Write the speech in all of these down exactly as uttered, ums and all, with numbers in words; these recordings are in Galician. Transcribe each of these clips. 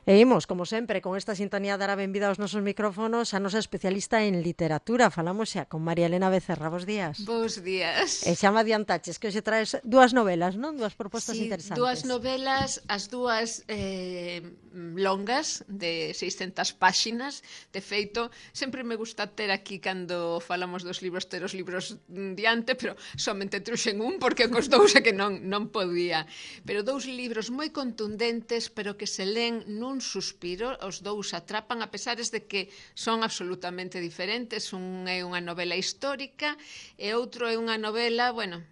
E imos, como sempre, con esta sintonía dar a benvida aos nosos micrófonos a nosa especialista en literatura. Falamos xa con María Elena Becerra. Bos días. Bos E días. xa me adiantaches que hoxe traes dúas novelas, non? Dúas propostas Si, dúas interesantes. novelas, as dúas eh, longas, de seiscentas páxinas. De feito, sempre me gusta ter aquí, cando falamos dos libros, ter os libros diante, pero somente truxen un, porque cos dous é que non, non podía. Pero dous libros moi contundentes, pero que se len nun suspiro. Os dous atrapan, a pesares de que son absolutamente diferentes. Un é unha novela histórica e outro é unha novela, bueno,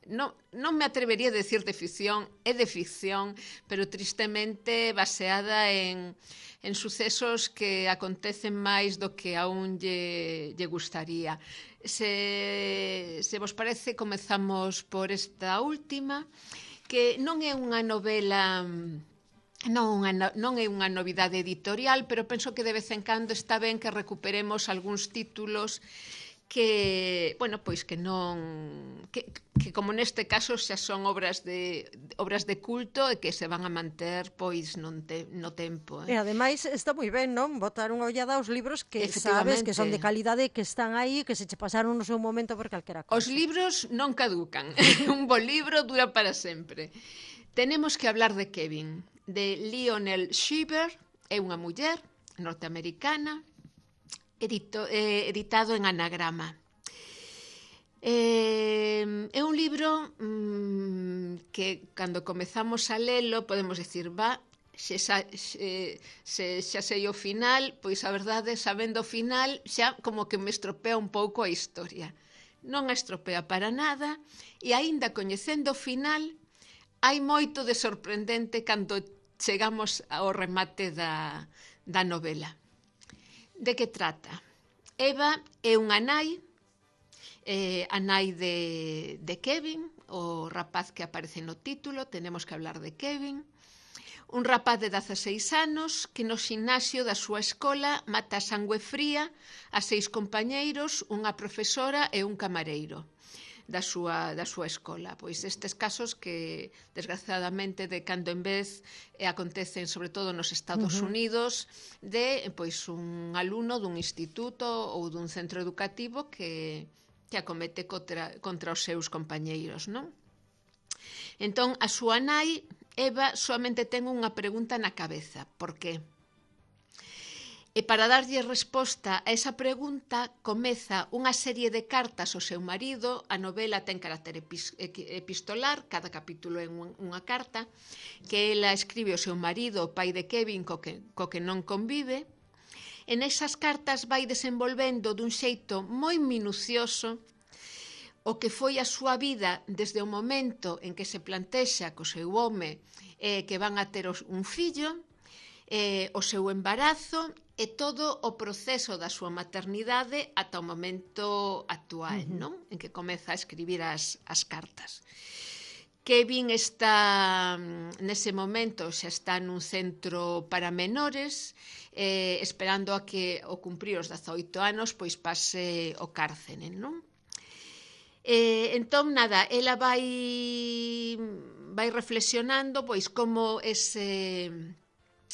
non, non me atrevería a decir de ficción, é de ficción, pero tristemente baseada en, en sucesos que acontecen máis do que a un lle, lle gustaría. Se, se vos parece, comezamos por esta última, que non é unha novela... Non, unha, non é unha novidade editorial, pero penso que de vez en cando está ben que recuperemos algúns títulos que, bueno, pois que non que, que como neste caso xa son obras de obras de culto e que se van a manter pois non te, no tempo, E eh. ademais está moi ben, non? Botar unha ollada aos libros que sabes que son de Efectivamente, calidade, que están aí, que se che pasaron no seu momento por calquera os cousa. libros non caducan. Un bo libro dura para sempre. Tenemos que hablar de Kevin, de Lionel Shriver. É unha muller norteamericana, edito, eh, editado en Anagrama. Eh, é un libro mmm, que cando comezamos a lelo podemos dicir, va, se, xa, se, se xa sei o final, pois a verdade, sabendo o final, xa como que me estropea un pouco a historia. Non a estropea para nada, e aínda coñecendo o final, hai moito de sorprendente cando chegamos ao remate da, da novela. De que trata? Eva é unha nai, eh, a nai de, de Kevin, o rapaz que aparece no título. Tenemos que hablar de Kevin. Un rapaz de dezaseis anos que no ximnasio da súa escola mata a sangue fría a seis compañeiros, unha profesora e un camareiro da súa, da súa escola. Pois estes casos que, desgraciadamente, de cando en vez eh, acontecen sobre todo nos Estados Uh -huh. Unidos, de pois un alumno dun instituto ou dun centro educativo que, que acomete contra, contra os seus compañeiros, non? Entón, a súa nai, Eva, soamente ten unha pregunta na cabeza. Por qué? E para darlle resposta a esa pregunta, comeza unha serie de cartas ao seu marido. A novela ten carácter epistolar, cada capítulo é unha carta, que ela escribe ao seu marido, o pai de Kevin, co que, co que non convive. En esas cartas vai desenvolvendo dun xeito moi minucioso o que foi a súa vida desde o momento en que se plantexa co seu home eh, que van a ter un fillo, eh, o seu embarazo e todo o proceso da súa maternidade ata o momento actual, uh -huh. non? En que comeza a escribir as, as cartas. Kevin está, nese momento, xa está nun centro para menores, eh, esperando a que, ao cumprir os dezaoito anos, pois pase o cárcere, non? Eh, entón, nada, ela vai vai reflexionando pois como ese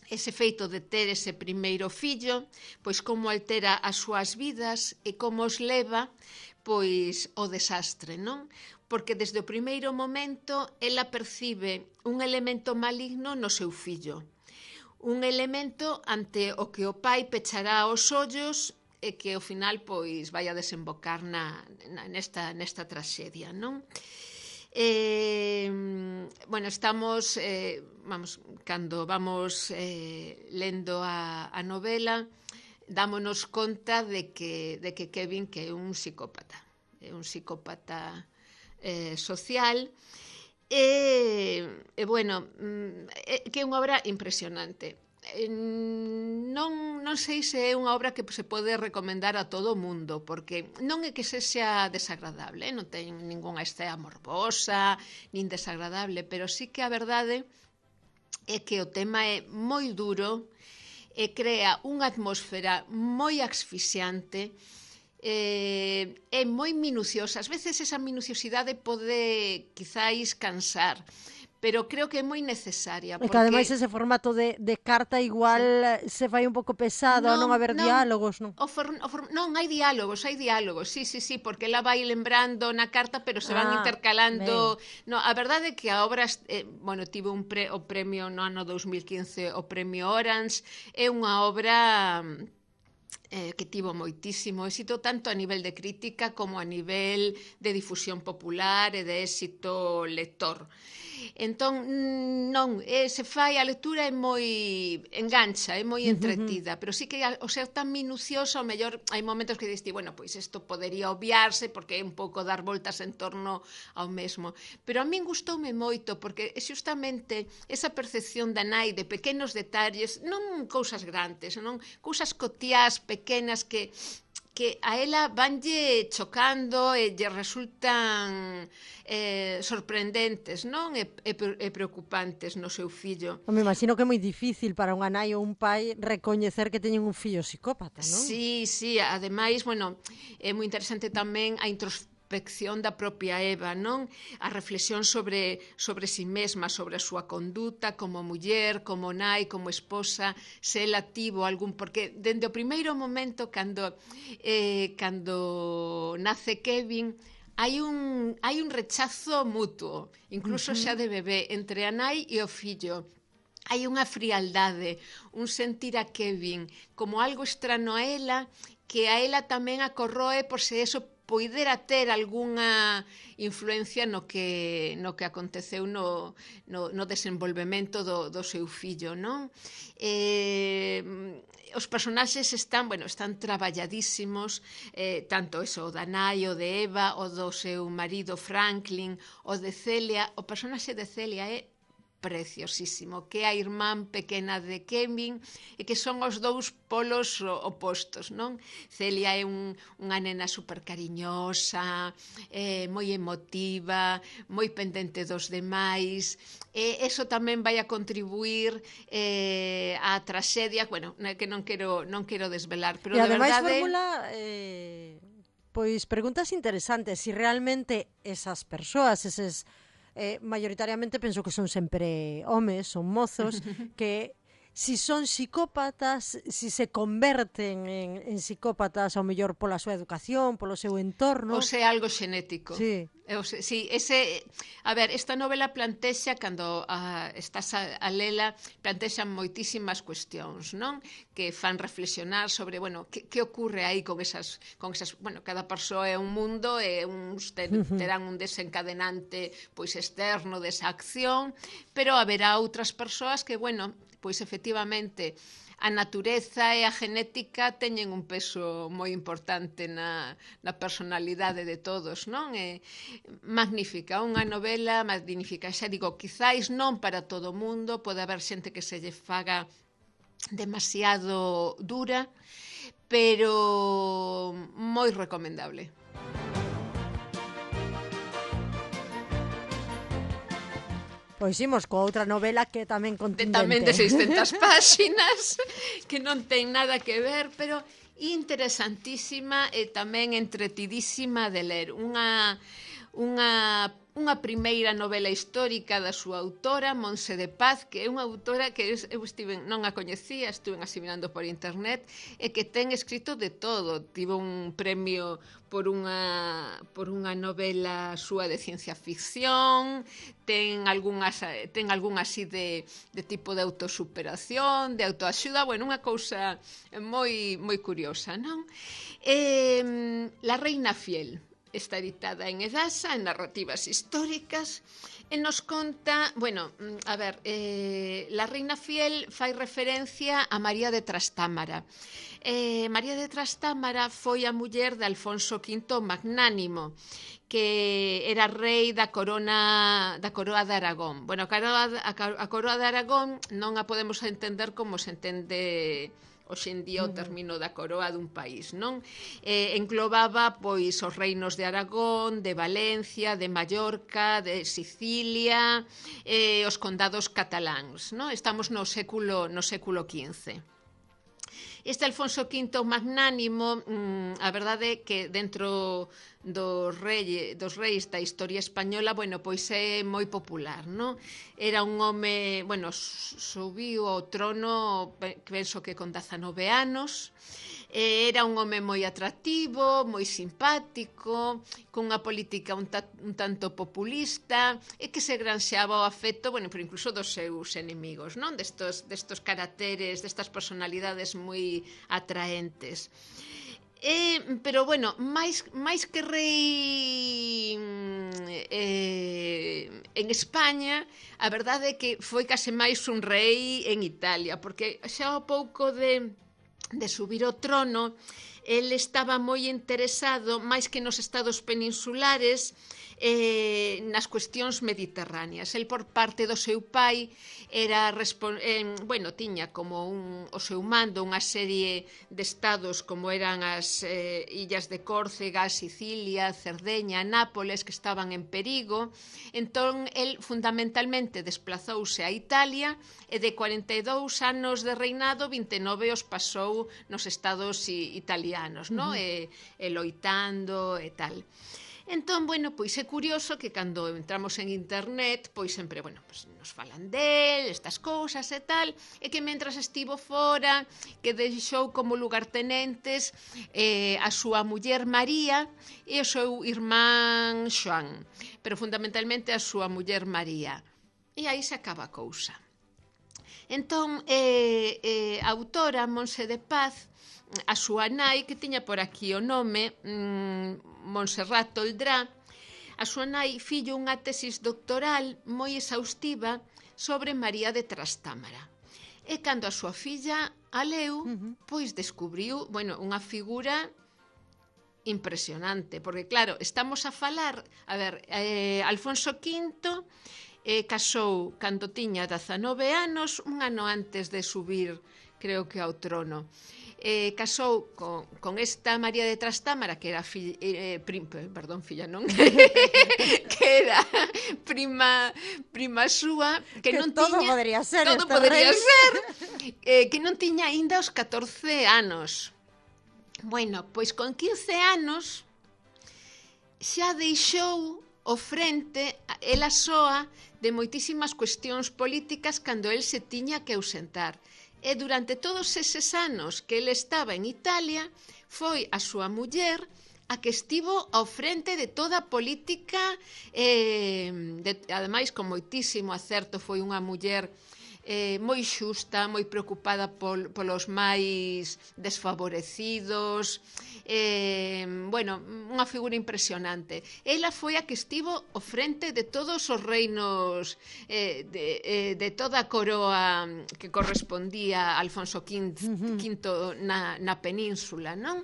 ese feito de ter ese primeiro fillo, pois como altera as súas vidas e como os leva pois ao desastre, non? Porque desde o primeiro momento ela percibe un elemento maligno no seu fillo, un elemento ante o que o pai pechará os ollos e que ao final pois vai a desembocar na, na, nesta, nesta traxedia, non? Eh, bueno, estamos eh, vamos, cando vamos eh, lendo a, a novela, dámonos conta de que, de que Kevin que é un psicópata, é un psicópata eh, social e, e bueno, é, que é unha obra impresionante. Non, non sei se é unha obra que se pode recomendar a todo o mundo, porque non é que se xa desagradable, eh? Non ten ningunha escena morbosa nin desagradable, pero sí que a verdade é que o tema é moi duro e crea unha atmosfera moi asfixiante, eh, é moi minuciosa. Ás veces esa minuciosidade pode quizáis cansar, pero creo que é moi necesaria. E porque... que ademais ese formato de, de carta igual sí. se fai un pouco pesado, non, a non haber non, diálogos, non? O for, o for, non, hai diálogos, hai diálogos, sí, sí, sí, porque ela vai lembrando na carta, pero se van ah, intercalando. No, a verdade é que a obra, eh, bueno, tive un pre, o premio no ano dous mil quince, o premio Orange, é unha obra... Eh, que tivo moitísimo éxito tanto a nivel de crítica como a nivel de difusión popular e de éxito lector. Entón, non, eh, se fai, a lectura é moi engancha, é moi entretida, pero sí que o ser tan minucioso, ao mellor hai momentos que diste, bueno, pois isto podería obviarse porque é un pouco dar voltas en torno ao mesmo. Pero a min gustoume moito porque é xustamente esa percepción da nai de pequenos detalles, non cousas grandes, non cousas cotiás, pequenas que que a ela vanlle chocando e lle resultan eh, sorprendentes, non? E, e, e preocupantes no seu fillo. Me imagino que é moi difícil para unha nai ou un pai recoñecer que teñen un fillo psicópata, non? Sí, sí, ademais, bueno, é moi interesante tamén a introspección introspección da propia Eva, non? A reflexión sobre, sobre si mesma, sobre a súa conduta como muller, como nai, como esposa, se ela tivo algún... Porque dende o primeiro momento, cando, eh, cando nace Kevin, hai un, hai un rechazo mutuo, incluso uh-huh. xa de bebé, entre a nai e o fillo. Hai unha frialdade, un sentir a Kevin como algo estrano a ela, que a ela tamén a corroe por se eso poidera ter algunha influencia no que, no que aconteceu no, no, no desenvolvemento do, do seu fillo, non? Eh, os personaxes están, bueno, están traballadísimos, eh, tanto eso, o da nai, o de Eva, o do seu marido Franklin, o de Celia. O personaxe de Celia é preciosísimo, que é a irmán pequena de Kevin e que son os dous polos opostos, non? Celia é un, unha nena super cariñosa, eh, moi emotiva, moi pendente dos demais, e eso tamén vai a contribuir eh, á traxedia, bueno, que non quero, non quero desvelar, pero e de ademais verdade... formula... Eh, pois preguntas interesantes, si realmente esas persoas, eses Eh, mayoritariamente penso que son sempre homes, son mozos, que si son psicópatas, si se converten en, en psicópatas ao mellor pola súa educación, polo seu entorno... Ou se algo xenético. Sí. Eu, sí, ese, a ver, esta novela plantexa, cando a, estás a, a lela, plantexan moitísimas cuestións, non? Que fan reflexionar sobre, bueno, que, que ocurre aí con esas, con esas, bueno, cada persoa é un mundo e uns ten, terán un desencadenante pois externo desa acción, pero haberá outras persoas que, bueno, pois efectivamente a natureza e a genética teñen un peso moi importante na, na personalidade de todos, non? É magnífica, unha novela magnífica. Xa digo, quizáis non para todo o mundo, pode haber xente que se lle faga demasiado dura, pero moi recomendable. Pois imos coa outra novela que tamén contundente. De, tamén de seiscentas páxinas, que non ten nada que ver, pero interesantísima e tamén entretidísima de ler. Unha, unha, unha primeira novela histórica da súa autora, Montse de Paz, que é unha autora que eu estive, non a coñecía, estuve asimilando por internet, e que ten escrito de todo. Tivo un premio por unha, por unha novela súa de ciencia ficción, ten algunhas, ten algunha así de, de tipo de autosuperación, de autoaxuda, bueno, unha cousa moi, moi curiosa, non? Eh, La Reina Fiel está editada en Edasa, en narrativas históricas, e nos conta, bueno, a ver, eh, La Reina Fiel fai referencia a María de Trastámara. Eh, María de Trastámara foi a muller de Alfonso quinto Magnánimo, que era rei da corona da coroa de Aragón. Bueno, a coroa, a coroa de Aragón non a podemos entender como se entende hoxe en día o término da coroa dun país, non? Eh, englobaba pois os reinos de Aragón, de Valencia, de Mallorca, de Sicilia, eh, os condados cataláns, non? Estamos no século no século quince. Este Alfonso quinto magnánimo, mm, a verdade é que dentro dos reis, dos reis da historia española, bueno, pois é moi popular, non? Era un home, bueno, subiu ao trono, penso que con dezanove anos, era un home moi atractivo, moi simpático, cunha política un, ta, un tanto populista e que se granxeaba o afecto, bueno, pero incluso dos seus enemigos, non? Destos, destos caracteres, destas personalidades moi atraentes. Eh, pero, bueno, máis, máis que rei eh, en España, a verdade é que foi case máis un rei en Italia, porque xa ao pouco de... de subir ao trono, el estaba moi interesado, máis que nos estados peninsulares, eh, nas cuestións mediterráneas. El, por parte do seu pai, era eh, bueno, tiña como un, o seu mando unha serie de estados como eran as eh, illas de Córcega, Sicilia, Cerdeña, Nápoles, que estaban en perigo. Entón, el fundamentalmente desplazouse a Italia e de cuarenta e dous anos de reinado, vinte e nove os pasou nos estados italianos, no? Uh-huh. e, e loitando e tal. Entón, bueno, pois é curioso que cando entramos en internet, pois sempre, bueno, pois nos falan del, estas cousas e tal, e que mentras estivo fora, que deixou como lugartenentes eh, a súa muller María e o seu irmán Xoán, pero fundamentalmente a súa muller María. E aí se acaba a cousa. Entón, eh, eh, a autora Monse de Paz, a súa nai, que tiña por aquí o nome, mmm, Montserrat Toldrá, a súa nai fillo unha tesis doctoral moi exhaustiva sobre María de Trastámara. E cando a súa filla a leu, uh-huh. pois descubriu, bueno, unha figura impresionante, porque claro, estamos a falar, a ver, eh, Alfonso quinto eh, casou cando tiña dezanove anos, un ano antes de subir, creo que ao trono. Eh, casou con, con esta María de Trastámara, que era fi, eh, prim, perdón, filla non que era prima prima súa, que, que non todo tiña podría ser todo podría rey. ser eh, que non tiña aínda os catorce anos. Bueno, pois con quince anos xa deixou o frente ela soa de moitísimas cuestións políticas cando el se tiña que ausentar. E durante todos eses anos que ele estaba en Italia, foi a súa muller a que estivo ao frente de toda a política, eh, de, ademais con moitísimo acerto. Foi unha muller eh, moi xusta, moi preocupada pol, polos máis desfavorecidos, eh, bueno, unha figura impresionante. Ela foi a que estivo ao frente de todos os reinos, eh, de, eh, de toda a coroa que correspondía a Alfonso quinto na, na península, non?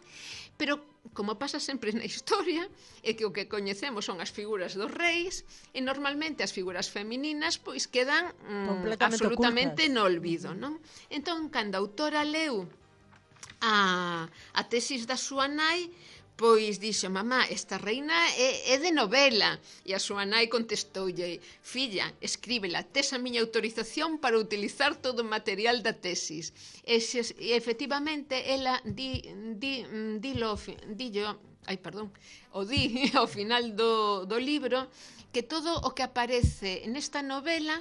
Pero, como pasa sempre na historia, é que o que coñecemos son as figuras dos reis e normalmente as figuras femininas pois quedan mm, absolutamente ocultas no olvido, non? Entón, cando a autora leu a, a tesis da súa nai, pois dixo: mamá, esta reina é, é de novela. E a súa nai contestoulle: filla, escríbela, tes a miña autorización para utilizar todo o material da tesis. E, se, e efectivamente, ela di, di, dilo, dillo, ai, perdón, o di ao final do, do libro, que todo o que aparece nesta novela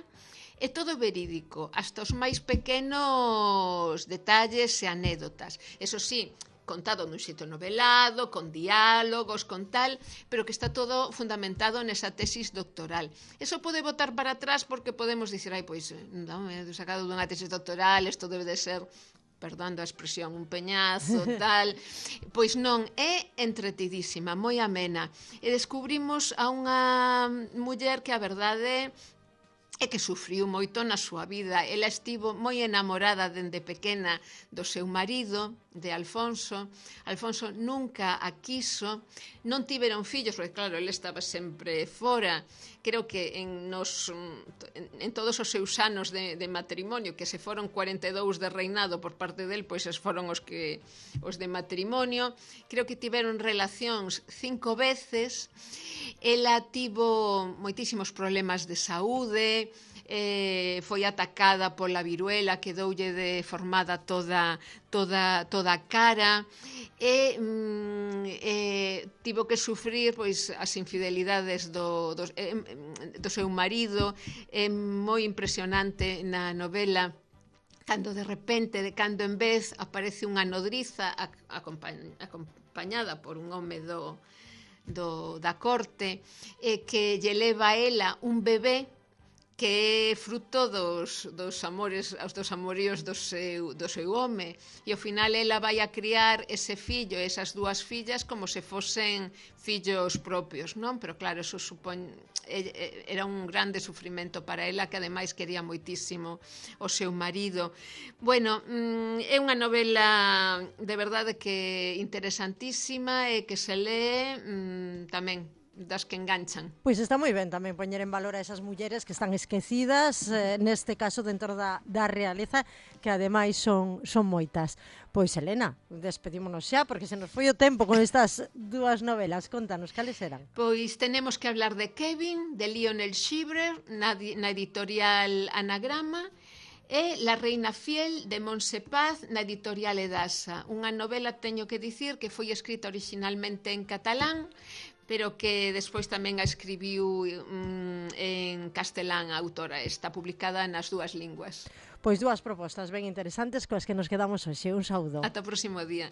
é todo verídico, hasta os máis pequenos detalles e anécdotas. Eso sí, contado nun xeito novelado, con diálogos, con tal, pero que está todo fundamentado nesa tesis doctoral. Eso pode botar para atrás porque podemos dicir, ai, pois, non, é sacado dunha tesis doctoral, isto debe de ser, perdón a expresión, un peñazo, tal. Pois non, é entretidísima, moi amena. E descubrimos a unha muller que a verdade e que sufriu moito na súa vida. Ela estivo moi enamorada dende pequena do seu marido, de Alfonso. Alfonso nunca a quiso, non tiveron fillos, porque claro, ele estaba sempre fora. Creo que en, nos, en, en todos os seus anos de, de matrimonio, que se foron cuarenta e dous de reinado por parte del, pois es foron os que os de matrimonio. Creo que tiveron relacións cinco veces. Ela tivo moitísimos problemas de saúde, eh, foi atacada pola viruela, quedoulle deformada toda, toda, toda a cara, e mm, eh, tivo que sufrir pois, as infidelidades do, do, eh, do seu marido. É moi impresionante na novela cando de repente, de cando en vez, aparece unha nodriza acompañada por un home do, do, da corte, eh, que lle leva a ela un bebé que é fruto dos, dos amores, dos amoríos do seu, do seu home, e ao final ela vai a criar ese fillo, esas dúas fillas, como se fosen fillos propios, non? Pero claro, eso supón, era un grande sufrimento para ela, que ademais quería moitísimo o seu marido. Bueno, é unha novela de verdade que interesantísima e que se lee tamén das que enganchan. Pois está moi ben tamén poñer en valor a esas mulleres que están esquecidas, eh, neste caso dentro da, da realeza, que ademais son, son moitas. Pois, Elena, despedímonos xa, porque se nos foi o tempo con estas dúas novelas. Contanos, cales eran? Pois tenemos que hablar de Kevin, de Lionel Shivrer, na, na editorial Anagrama, e La reina fiel, de Montse Paz, na editorial Edasa. Unha novela, teño que dicir, que foi escrita originalmente en catalán, pero que despois tamén a escribiu mm, en castelán a autora. Está publicada nas dúas linguas. Pois dúas propostas ben interesantes coas que nos quedamos hoxe. Un saúdo. Ata o próximo día.